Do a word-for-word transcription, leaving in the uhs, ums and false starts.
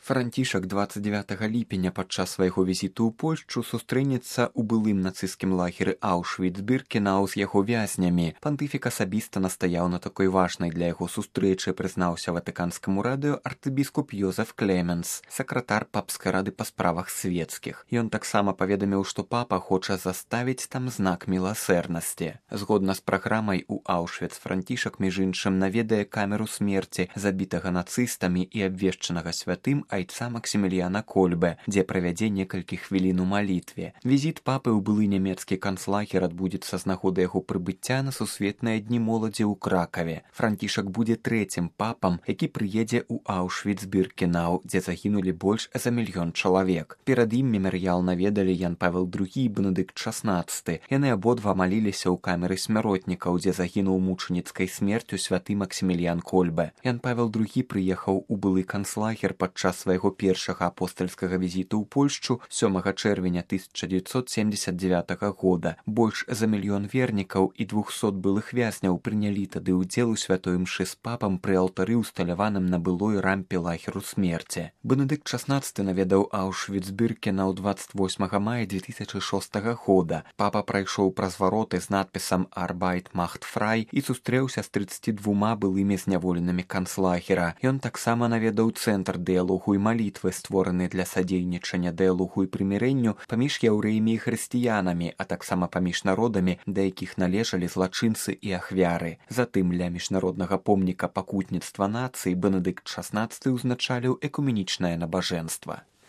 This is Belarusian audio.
Францішак двадцать девятого ліпеня падчас свайго візіту ў Польшчу сустрэнецца ў былым нацысцкім лагеры Аўшвіц-Біркенау з яго вязнямі. Пантыфік асабіста настаяў на такой важнай для яго сустрэчы, прызнаўся ватыканскаму радыё архібіскуп Йозеф Клеменс, сакратар папскай рады па справах свецкіх. Ён таксама паведаміў, што папа хоча заставіць там знак міласэрнасці. Згодна з праграмай у Аўшвіц Францішак, між іншым, наведае камеру смерці забітага нацыстамі і абвешчанага святым айца Максіміліяна Кольбе, дзе правядзе некалькі хвілін у малітве. Візіт папы ў былы нямецкі канцлагер адбудзецца з нагоды яго прыбыцця на сусветныя дні моладзі ў Кракаве. Францішак будзе трэцім папам, які прыедзе ў Аўшвіц-Біркенау, дзе загінулі больш за мільён чалавек. Перад ім мемарыял наведалі Ян Павел другі і Бенедыкт шаснаццаты. Яны абодва маліліся ў камеры смяротнікаў, дзе загінуў мучаніцкай смерцю святы Максіміліян Кольбе. Ян Павел другі прыехаў у былы канцлагер падчас свайго першага апостальскага візіту ў Польшчу сёмага чэрвеня тысяча дзевяцьсот семдзесят дзевятага года. Больш за мільён вернікаў і двухсот былых вязняў прынялі тады ўдзел у святой імшы з папам пры алтары, усталяваным на былой рампе лагеру смерці. Бенедыкт шаснаццаты наведаў Аўшвіц-Біркенау двадцать восьмага мая две тысячи шостага года. Папа прайшоў праз вароты з надпісам «Arbeit macht frei» і сустрэўся з трыццаццю двума былымі зняволенымі канцлагера. Ён таксама наведаў цэнтр дыялогу і малітвы, створаны для садзейнічання дыялогу і прымірэнню паміж яўрэямі і хрысціянамі, а таксама паміж народамі, да якіх належалі злачынцы і ахвяры. Затым ля міжнароднага помніка пакутніцтва нацыі Бенедыкт шаснаццаты ўзначаліў экуменічнае набажэнства.